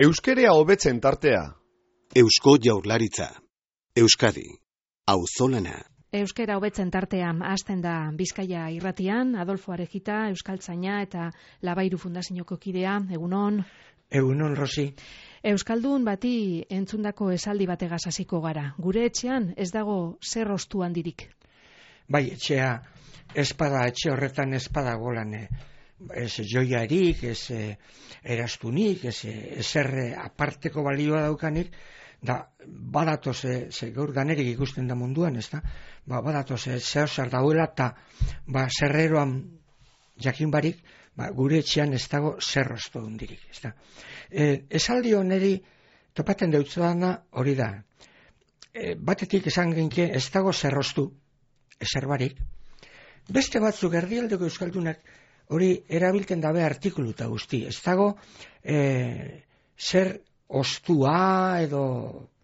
Euskerea hobetzen tartea. Eusko Jaurlaritza. Euskadi. Auzolana. Euskera hobetzen tartean hasten da Bizkaia irratian, Adolfo Arejita, Euskaltzaina eta Labairu Fundazioko kidea, egunon. Egunon, Rosi. Euskaldun bati entzundako esaldi bategaz hasiko gara. Gure etxean ez dago zer ostu handirik. Bai, etxea espada, etxe horretan espada golan. Ez joiarik, ez erastunik, ez ezer aparteko balioa daukanik, da badatoz, gaur danerik ikusten da munduan, ez da? Badatoz, zehosar dauela eta zerreroan jakin barik, gure etxean ez dago zerroztu hundirik, ez da? Esaldi honeri topaten deutzuana hori da. Batetik esan genke ez dago zerroztu, ezer barik. Beste batzuk erdialdeko euskaldunak hori erabiltzen dabe artikuluta guzti. Ez dago zer ostua edo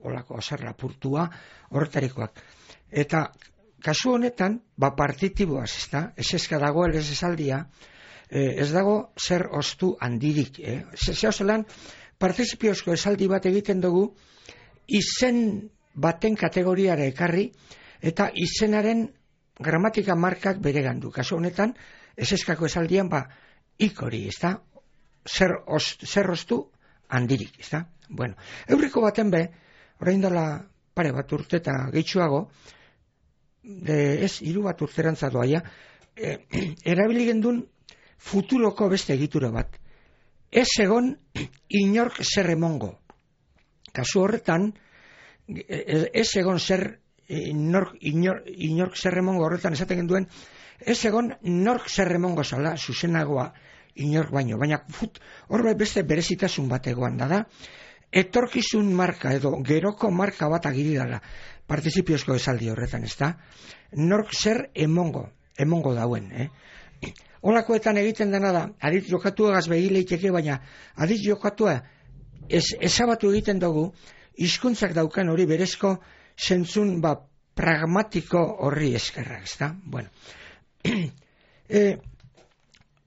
olako zer lapurtua horretarikoak. Eta kasu honetan, partitiboaz, ez da? Eseska dagoel ez esaldia, ez dago zer ostu handirik. Zehozelan, partizipiozko esaldi bat egiten dugu, izen baten kategoriara ekarri, eta izenaren gramatika markak beregandu. Kasu honetan, eseskako esaldian, ikori, ez da? Zer ostu handirik, ez da? Bueno, eurriko baten be, orain dela pare bat urte eta gehitxuago, hiru bat urterantza doaia, erabili gendun futuroko beste egitura bat. Ez egon inork zer emongo. Kasu horretan, ez egon zer inork zer emongo horretan esaten genduen, ez egon nork zer emongo zala, zuzenagoa inork baino. Baina horbe beste berezitasun bat egoan da. Etorkizun marka edo geroko marka bat agiri dala partizipiozko esaldi horretan, ez da? Nork zer emongo dauen. Holakoetan egiten dena da, adit jokatua gaz begileiteke, baina adit jokatua ezabatu egiten dugu, hizkuntzak daukan hori berezko zentzun pragmatiko horri eskerrak, ez da? Bueno,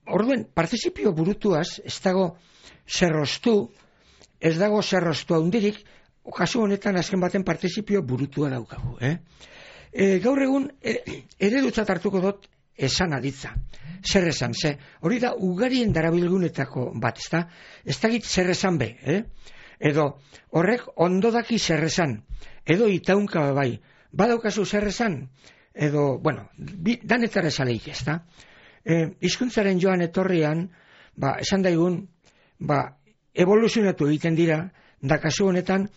orduen, partizipio burutuaz, ez dago zerroztu, ez dago zerroztu handirik, kasu honetan azken baten partizipio burutua daukagu. Gaur egun, eredutzat hartuko dut esan aditza. Zer esan, hori da ugarien darabilgunetako bat, ez da? Ez dakit zer esan be, edo horrek ondo daki zer esan, edo itaunka bai, badaukazu zer esan, edo, bueno, danetara esaleik, ez da? Hizkuntzaren joan etorrian, esan daigun, evoluzionatu egiten dira, da kasu honetan,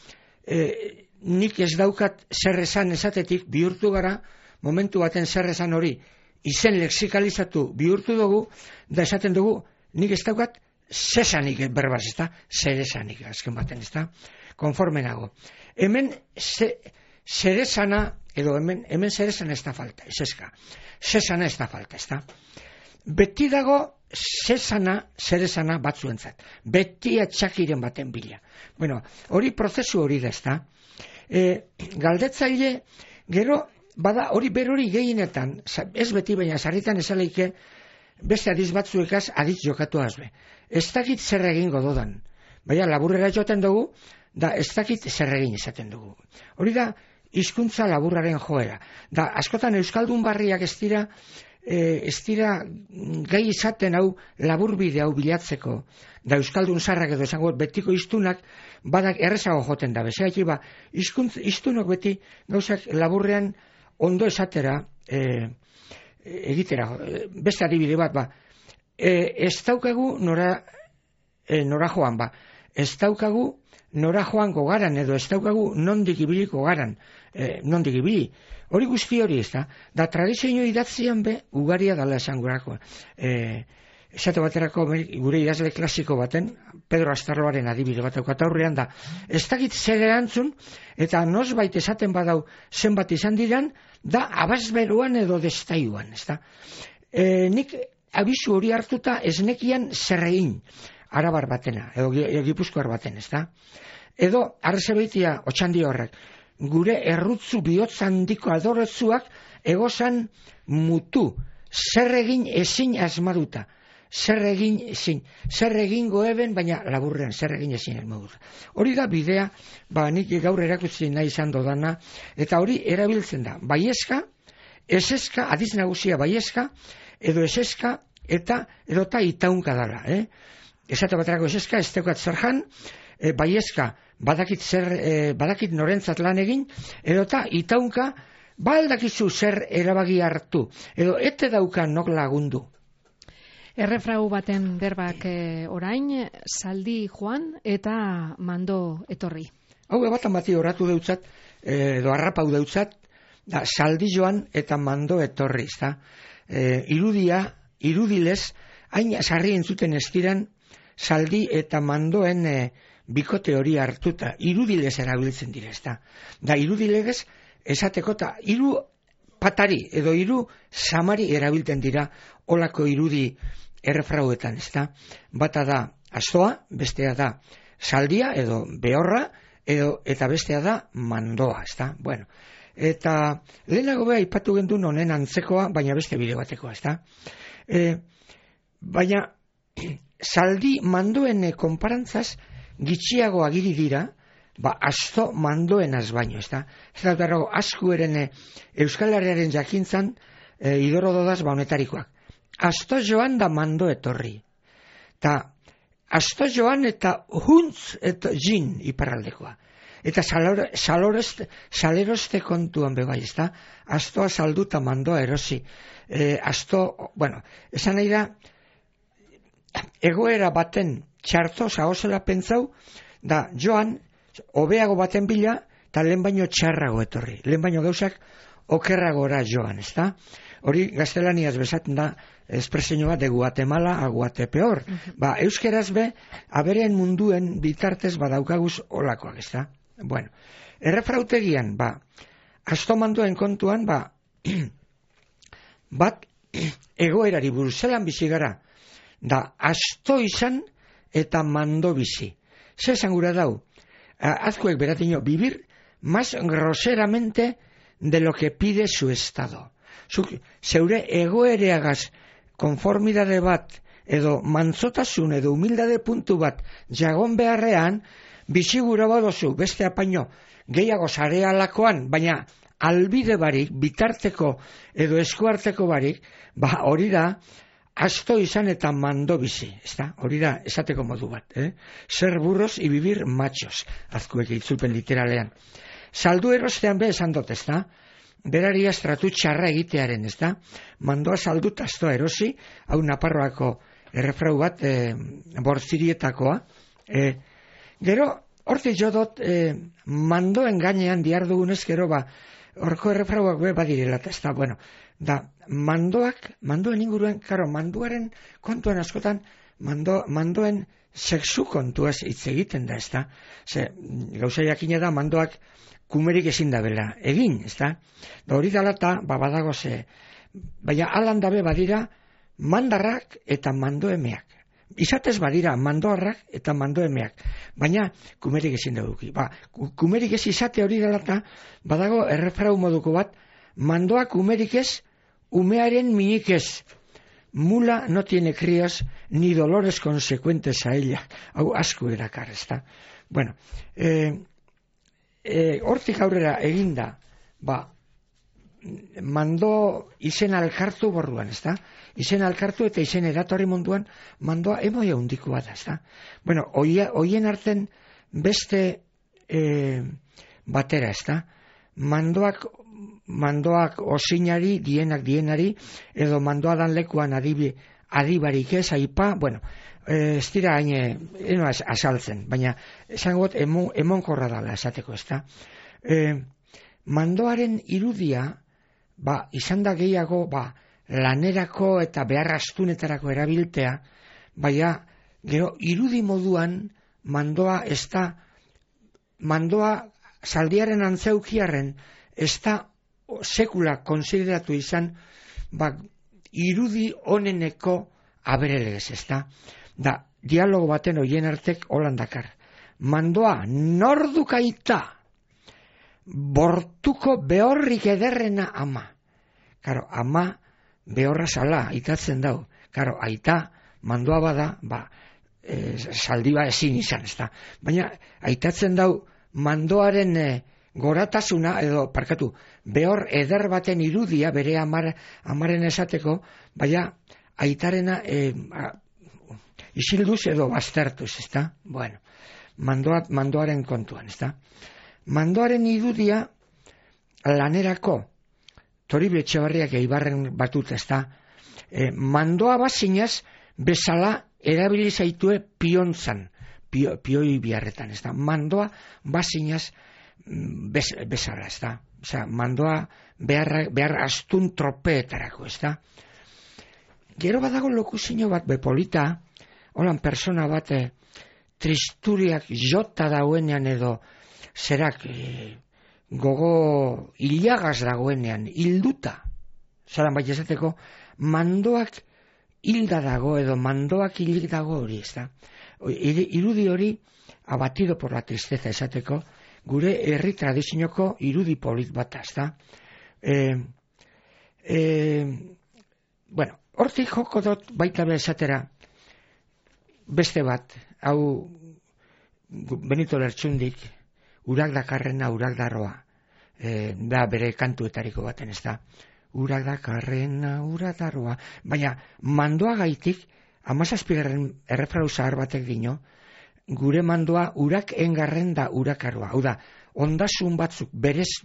nik ez daukat zer esan esatetik bihurtu gara, momentu baten zer esan hori, izen lexikalizatu bihurtu dugu, da esaten dugu, nik ez daukat zesanik berbaz, ez da? Zer esanik, azken baten, ez da? Konforme nago. Hemen zer esana, edo hemen zer esana ez da falta, ez eska. Zesana ez da falta, ez da? Beti dago zer esana batzuentzat. Beti atxakiren baten bila. Bueno, hori prozesu hori da, ez da? Galdetzaile, gero, bada hori berori gehienetan, ez beti baina sarritan esaleike, beste adiz batzuekaz adiz jokatu azbe. Ez dakit zer egingo dodan. Baina laburrera joaten dugu, da ez dakit zer egin esaten dugu. Hori da, hizkuntza laburraren joera. Da, askotan euskaldun barriak ez dira gai izaten hau laburbide hau bilatzeko. Da, euskaldun zarrak edo esango betiko hiztunak badak errezago joten da. Bezeak hiztunok beti gauzak laburrean ondo esatera egitera. Beste adibide bat, ez daukagu nora joan, ez daukagu nora joango garan, edo ez daukagu nondik ibiliko garan, nondik ibili. Hori guzti hori ez da. Da tradizio idatzian be, ugaria dala esan gurako. Esate baterako gure idazle klasiko baten, Pedro Astarloaren adibide bat daukat aurrean da. Ez dakit zer erantzun, eta nosbait esaten badau zenbat izan diran, da abazberuan edo destaiuan, ez da. Nik abizu hori hartuta ez nekian zer egin. Arabar batena, edo Gipuzkoar baten, ez da? Edo, arrezabeitia, otxandi horrek, gure errutzu bihotz handiko adoretzuak egozan mutu, zer egin ezin asmaduta. zer egingo eben, baina laburrean, zer egin ezin elmodur. Hori da bidea, nik gaur erakutsi nahi izan dodana, eta hori erabiltzen da, baiezka, eseska, adiz nagusia baiezka, edo eseska, edota itaunka dala, Esate baterako eseska, ez teukat zer jan, baiezka, badakit norentzat lan egin, edota itaunka, aldakizu zer erabaki hartu, edo ete daukan nok lagundu. Errefrau baten berbak orain, saldi joan eta mando etorri. Hau batan bati oratu deutzat, edo harrapau deutzat, da saldi joan eta mando etorri, ezta? Irudilez, hain sarri entzuten estiran, saldi eta mandoen bikote hori hartuta, irudilez erabiltzen dira, ezta? Da irudilegez, esateko eta hiru patari edo hiru samari erabiltzen dira olako irudi errefrauetan, ezta? Bata da astoa, bestea da saldia edo behorra, eta bestea da mandoa, ezta? Bueno, eta lehenago beha ipatu gendun honen antzekoa, baina beste bide batekoa, ezta? Baina saldi mandoen konparantzaz gitxiago agiri dira, asto mandoenaz baino, ezta? Ez da berrago, asku eren Euskal Herriaren jakintzan idoro dodaz honetarikoak. Asto joan da mando etorri. Ta asto joan eta huntz eta jin iparraldekoa. Eta saleroste kontuan bebai, ezta? Astoa saldu eta mandoa erosi. Esan nahi da, egoera baten txarto zahozela pentsau, da joan, hobeago baten bila, eta lehen baino txarrago etorri. Lehen baino gauzak okerragora joan, ezta? Hori gaztelaniaz bezaten da espresenio bat de Guatemala a Guatepeor. Euskeraz be, aberen munduen bitartez badaukaguz olakoak, ezta? Bueno, errefrautegian, asto mandoen kontuan, bat egoerari buruz zelan bizi gara, da asto izan eta mando bizi. Zer esan gura dau? Azkuek beratino, vivir más groseramente de lo que pide su estado. Zeure egoereagaz konformidade bat, edo mantzotasun, edo humildade puntu bat jagon beharrean, bizi gura badozu beste apaino gehiago zarealakoan, baina albide barik, bitarteko edo eskuarteko barik, hori da, asto izan eta mando bizi, ezta? Hori da, esateko modu bat, Ser burros y vivir machos, azkuek itzulpen literalean. Saldu erostean be esan dut, ezta? Berari astratu txarra egitearen, ezta? Mandoa saldu eta astoa erosi, hau Naparroako errefrau bat, bortzirietakoa. Gero, hortik jo dut, mandoen gainean diardugunez, gero horko errefrauak be badirela, ezta? Bueno, da, mandoen inguruan, karo, manduaren kontuan askotan, mandoen sexu kontuaz hitz egiten da, ezta? Gauza jakina da, mandoak kumerik ezin da bela egin, ezta? Da hori dala eta, badago baina alan dabe badira, mandarrak eta mandoemeak. Izatez badira mandoarrak eta mandoemeak, baina kumerik ezin da duki. Kumerik ez izate hori dela eta, badago errefrau moduko bat, mandoak kumerik ez, umearen minik ez. Mula no tiene crías ni dolores consecuentes a ella. Hau asko erakar, ezta? Bueno, hortik aurrera eginda, mando izen alkartu borruan, ezta? Izen alkartu eta izen eratorri munduan mandoa emoia hundikoa da, ezta? Bueno, hoien arten beste batera, ezta? Mandoak osinari, dienari, edo mandoa dan lekuan adibarik ez, aipa, bueno, ez dira hain azaltzen, baina esangot emonkorra dala esateko, ezta? Mandoaren irudia, izan da gehiago, lanerako eta behar astunetarako erabiltea, baina gero irudi moduan mandoa zaldiaren antzeukiarren ez da sekula konsideratu izan irudi oneneko aberelegez, ez da? Da, dialogo baten oien artek holandakar. Mandoa nordukaita bortuko behorrik ederrena ama. Karo, ama behorra sala, itatzen dau. Karo, aita mandoa bada, zaldiba ezin izan, ezta. Baina, aitatzen dau, mandoaren goratasuna, behor eder baten irudia, bere amaren esateko, baina, aitarena isilduz edo baztertuz, ezta. Bueno, mandoaren kontuan, ezta. Mandoaren irudia lanerako, Toribio Etxebarriak Eibarren batut, ezta. Mandoa bazinaz bezala erabili zaitue piontzan, pioi biharretan, ez da. Mandoa bazinaz bezala, ez da. Osea, mandoa behar astun tropeetarako, ez da. Gero badago lokuzino bat bepolita, holan persona bat tristuriak jota dauenean edo zerak gogo hilagaz dagoenean, hilduta. Zaran bai esateko, mandoak hilda dago edo mandoak hilik dago hori, ez da. Irudi hori, abatido por la tristeza esateko, gure herri tradizioko irudi polit bat, ez da. Bueno, hortik joko dut baita be esatera beste bat, hau Benito Lertxundik, urak dakarrena, urak darroa, da bere kantuetariko baten, ez da. Urak dakarrena, urak darroa, baina mandoa gaitik, 17. errefrau zahar batek dino, gure mandoa urak engarren da urakaroa. Hau da, ondasun batzuk berez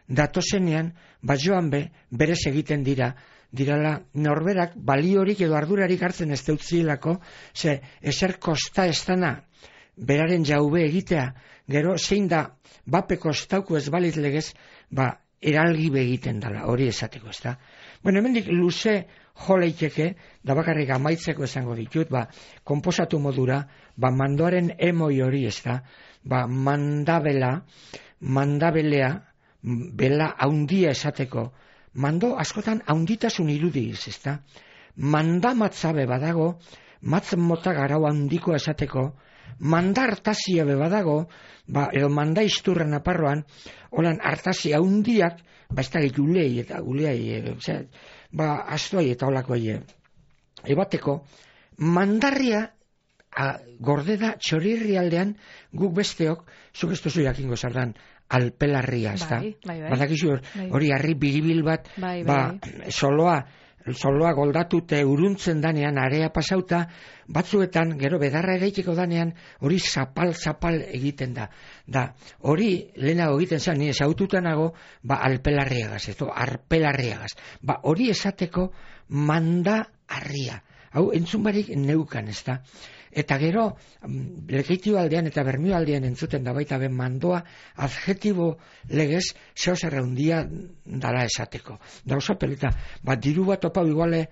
datozenean, joan berez egiten dirala norberak baliorik edo ardurarik hartzen ez deutzilako, ze ezer kosta ez dana beraren jaube egitea, gero zein da bape kostauko ez balit legez, eralgibe egiten dala, hori esateko, ez da. Bueno, hemendik luze joleiteke, da bakarrik amaitzeko esango ditut, konposatu modura, mandoaren emoi hori, ez da, mandabelea, bela haundia esateko, mando askotan haunditasun irudiz, ez da. Mandamatzabe badago, matz mota garau handiko esateko, manda hartazia badago, edo manda isturra naparroan, holan hartazia haundiak, ez da gulei eta guleai, astuai eta holakoai ebateko, mandarria gorde da txorirri aldean guk besteok, zuk ez duzu jakingo zardan, alpelarria, ez da. Badakizu hori harri biribil bat, soloa goldatute uruntzen danean, area pasauta, batzuetan, gero bedarra ereiteko danean, hori zapal egiten da. Hori lehenago egiten zen, nire zaututanago, alpelarriagaz, arpelarriagaz. Hori esateko manda harria. Hau, entzun barik neukan, ez da. Eta gero, Lekeitio aldean eta Bermio aldean entzuten da baita ben mandoa, adjetibo legez, zeo zerraundia dala esateko. Da oso peleta, diru bat opau iguale,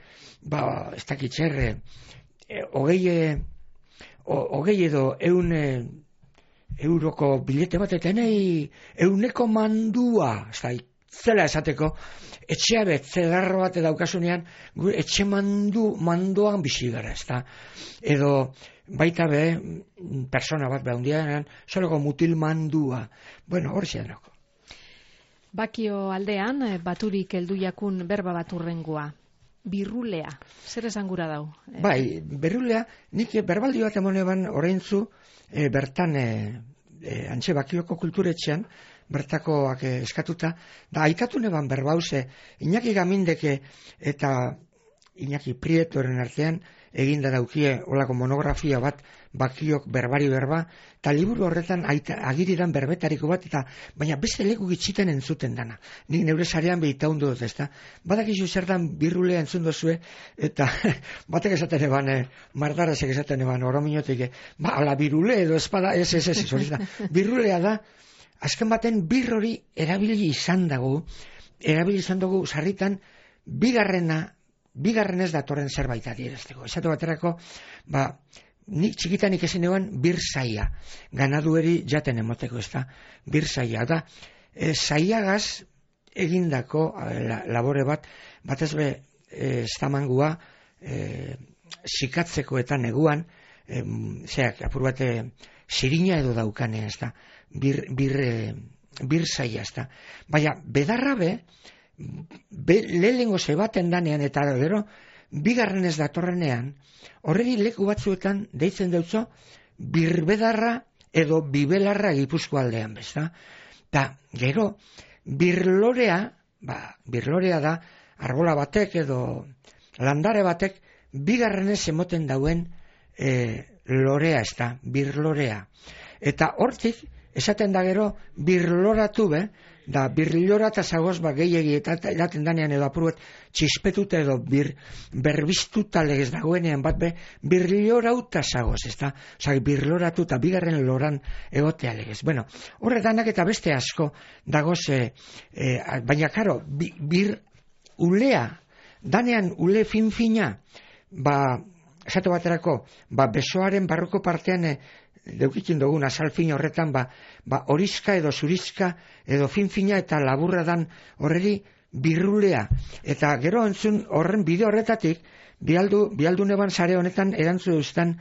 ez dakitxerre, hogei edo euroko bilete bat, eta euneko mandua, ez da, zela esateko, etxea betzelarro bat daukasunean, etxe mandoan bizi gara, ez da. Edo baita persona bat behundianean, soloko mutil mandua. Bueno, hori zedanoko. Bakio aldean, baturik heldu jakun berba bat urrengoa. Birrulea. Zer esan gura dau? Birrulea, nik berbaldi bat emoneban oraintzu, bertan, antxe Bakioko kulturetxean, bertakoak eskatuta, da aitatu neban berbauze, Iñaki Gamindeke eta Iñaki Prietoren artean eginda daukie olako monografia bat Bakiok berbari berba, eta liburu horretan agiridan berbetariko bat, eta baina beste leku gitxiten entzuten dana. Nik neure sarean behita hundu dut, ezta? Badakizu zertan birrulea entzun dozue, eta batek esaten eban, mardarazek esaten eban, orominotik, ala birule edo espada, birrulea da, azken baten birrori erabili izan dugu sarritan bigarrenez datorren zerbait adierazteko. Esatu baterako, nik txikitanik ezin eban birzaia, ganadueri jaten emoteko, ez da, birzaia, da, zaiagaz egindako labore bat, batez be, estamangua, sikatzeko eta neguan, apur bate, zirina edo daukane, ez da, birzaia, ez da. Baina, bedarra lehengo zebaten danean, eta gero, bigarren ez datorrenean, horregi leku batzuetan deitzen deutzo birbedarra edo bibelarra Gipuzkoa aldean, bezta? Ta, gero, birlorea da, arbola batek edo landare batek bigarrenez emoten dauen lorea, ez da, birlorea. Eta hortik, esaten da gero, birloratu da birlorata zagoz gehiegi eta eraten danean edo apuruet txispetute edo berbiztuta legez dagoenean bat birlorauta zagoz, ez da? Osa, birloratuta, bigarren loran egotea legez. Bueno, horretanak eta beste asko dagoz, baina karo, ulea, danean ule fin-fina, esatu baterako, besoaren barruko partean deukitzen dugun azalfin horretan, horizka edo zurizka edo fin-fina eta laburra dan horreri birrulea. Eta gero entzun horren bide horretatik, bialdu neban sare honetan erantzu duztan,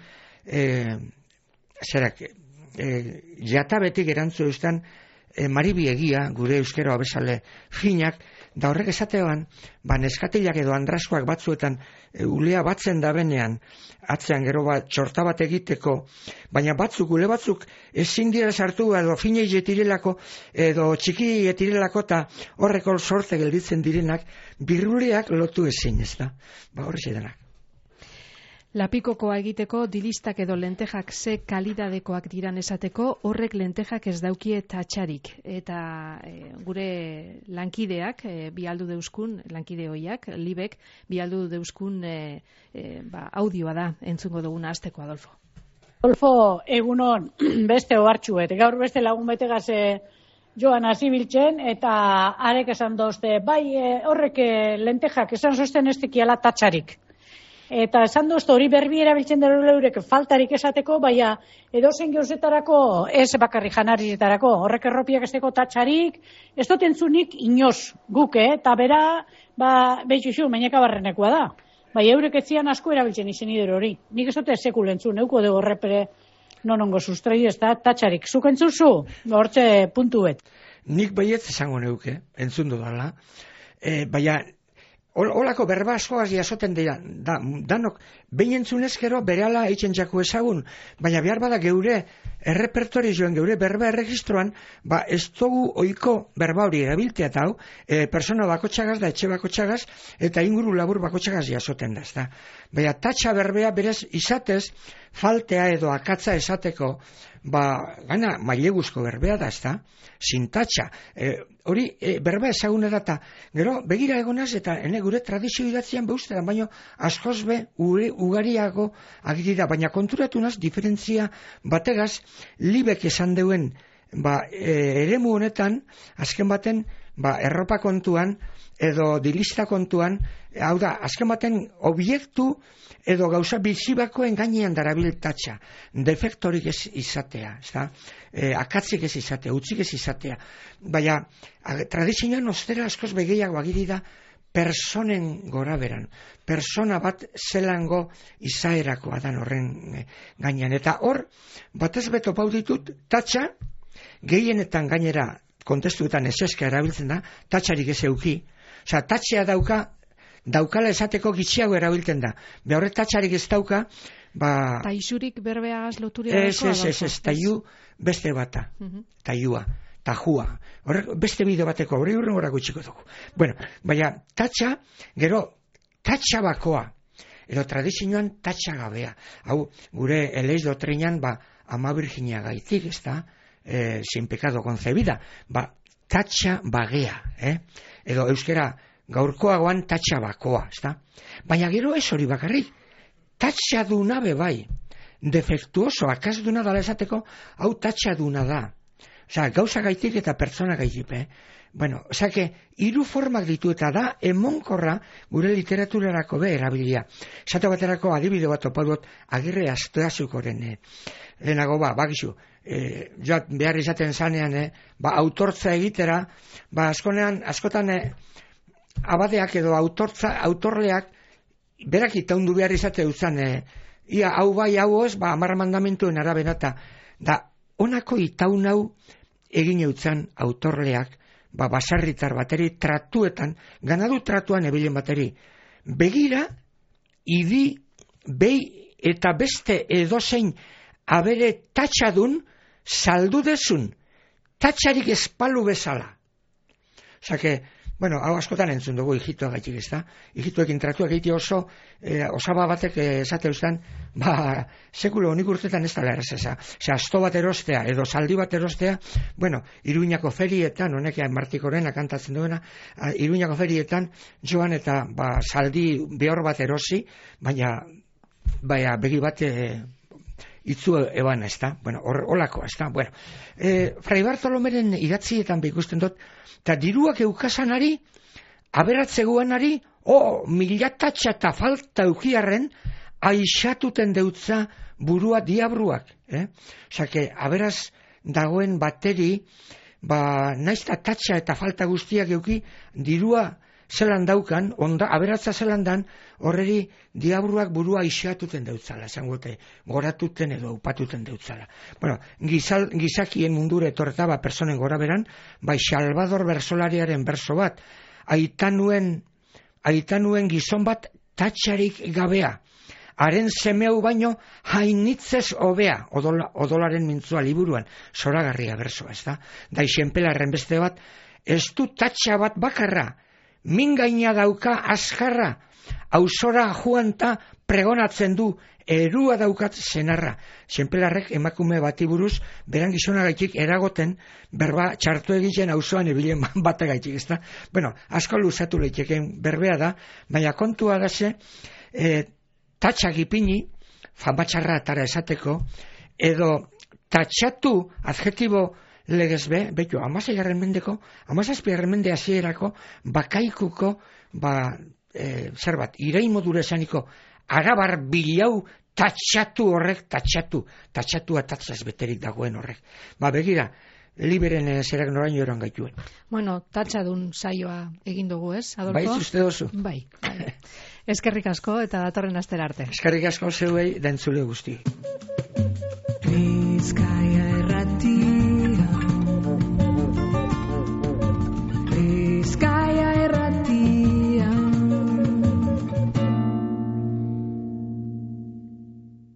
jatabetik erantzu duztan, Maribi Egia, gure euskero abesale finak, da horrek esatean, neskatilak edo andraskoak batzuetan ulea batzen da benean, atzean gero txorta bat egiteko, baina ule batzuk ezin dira sartu edo finei jetirelako edo txiki jetirelako eta horreko sorte gelditzen direnak, birruleak lotu ezin, ez da? Horrez edanak. Lapikokoa egiteko dilistak edo lentejak ze kalidadekoak diran esateko, horrek lentejak ez daukie tatxarik. Eta gure lankideak, bialdu deuskun, lankide hoiak, libek, bialdu deuskun audioa da, entzungo duguna hasteko, Adolfo. Adolfo, egunon, beste ohartxuet, gaur beste lagun betegaz joan hasi biltzen, eta arek esan dozte, horrek lentejak esan zosten ez tekiala tatxarik. Eta esan duzte hori berbi erabiltzen dara leurek faltarik esateko, baina edozen gauzetarako ez bakarri janarizetarako. Horrek erropiak esteko tatxarik, ez dut entzunik inoz guk, eta bera, behitxuxu, maineka barrenekoa da. Baina eurek etzian asko erabiltzen izen idero hori. Nik ez dut sekul entzun, euko dugu horrepere nonongo sustrai ez da tatxarik. Zuk entzuzu, hortze puntuet. Nik baiet esango neuke, entzun dudala, baina olako berba askoaz jasoten dira, danok, behin entzunez gero berehala eitzen jako ezagun, baina behar bada geure errepertorioan, geure berba erregistroan, ez dugu oiko berba hori erabiltea eta hau, persona bakotxagaz da, etxe bakotxagaz, eta inguru labur bakotxagaz jasoten da, ezta. Baina tatxa berbea berez izatez, faltea edo akatza esateko, gana maileguzko berbea da, ezta, sintatxa. Hori berba ezaguna da, gero begira egonaz eta gure tradizio idatzian beuztetan, baina askoz ugariago agirira, baina konturatu naz diferentzia bategaz, libek esan deuen eremu honetan, azken baten erropa kontuan edo dilista kontuan, hau da, azken baten obiektu edo gauza bizibakoen gainean darabil tatxa, defektorik ez izatea, akatzik ez izatea, utzik ez izatea, baina tradizioan ostera askoz begeiago agiri da personen gora beran, persona bat zelango izaerakoa dan horren gainean, eta hor, batez beto pau ditut, tatxa, gehienetan gainera, kontestuetan eseska erabiltzen da, tatxarik ez euki, osea, tatxea daukala esateko gitxiago erabiltzen da. Horre tatxarik ez dauka, Taixurik berbeagaz loturia dago? Ez, taiu beste bata, taiua, tajua. Horrek beste bide bateko, hori hurren gora gutxiko dugu. Bueno, baina tatxa, gero, tatxa bakoa, edo tradizioan tatxa gabea. Hau, gure eleiz dotrinan, ama virginia gaitik, ez da, sin pecado concebida, tatxa bagea, edo euskera gaurkoagoan tatxa bakoa, ez da? Baina gero ez hori bakarrik, tatxa duna bebai, defektuoso, akaz duna dala esateko, hau tatxa duna da. Osa, gauza gaitik eta pertsona gaitik, Bueno, osa, hiru formak ditu eta da, emonkorra gure literaturarako erabilia. Esate baterako adibide bat opadot, Agirre Astoazukoren, lehenago bakizu, behar izaten zanean, autortza egitera, askotan, abadeak edo autorleak, berak itaundu behar izate dutzen, ia hau bai hau ez, 10 mandamentuen arabera, da honako itaun hau egin eutzen autorleak, basarritar bateri tratuetan, ganadu tratuan ebilen bateri, begira idi, behi eta beste edozein abere tatxadun saldu dezun, tatxarik espalu bezala. Osake, bueno, hau askotan entzun dugu hijitoa gaitik, ez da? Hijitoekin tratuak egite oso, osaba batek esate eustan, sekulo honik urtetan ez dala errezesa. Asto bat erostea, edo zaldi bat erostea, bueno, Iruñako ferietan, honek Martikoren kantatzen duena, Iruñako ferietan joan eta zaldi behor bat erosi, baina begi bat itzu eban, ez da? Bueno, holako, ez da? Bueno, Fray Bartolomeren idatzietan ikusten dut, eta diruak eukasanari, aberatzeguanari, milatatxa eta falta eukiarren, aixatuten deutza burua diabruak. Osake, aberaz dagoen bateri, naiz eta tatxa eta falta guztiak euki, dirua zelan daukan, aberatza zelan dan, horreri diabruak burua aixatuten deutzala, esangote, goratuten edo upatuten deutzala. Bueno, gizakien mundure etorreta, personen gora beran, Salvador Bersolariaren berso bat, aitanuen gizon bat tatxarik gabea, haren semeu baino hainitzez hobea, odolaren mintzua liburuan, zoragarria bersoa, ez da? Da isenpelarren beste bat, ez du tatxa bat bakarra, min gaina dauka azkarra, auzora juanta pregonatzen du, erua daukat senarra. Senpelarrek emakume bati buruz, beran gizonagaitik eragoten, berba txartu egiten auzoan ebilen batagaitik, ez da? Bueno, asko luzatu leiteken berbea da, baina kontua da ze, tatxak ipini, famatxarra atara esateko, edo tatxatu adjetibo legezbe, beto, 16. mendeko, 17. mende hasierako bakaikuko, irain modura esaniko, arabar bilau tatxatu horrek, tatxatua tatzaz beterik dagoen horrek. Begira, liberen zerak noraino eran gaituen. Bueno, tatxadun saioa egin dugu, ez, Adolfo? Bai, uste dozu. Bai. Eskerrik asko eta datorren astera arte. Eskerrik asko zeuei da entzule guzti. Bizkaia Irratia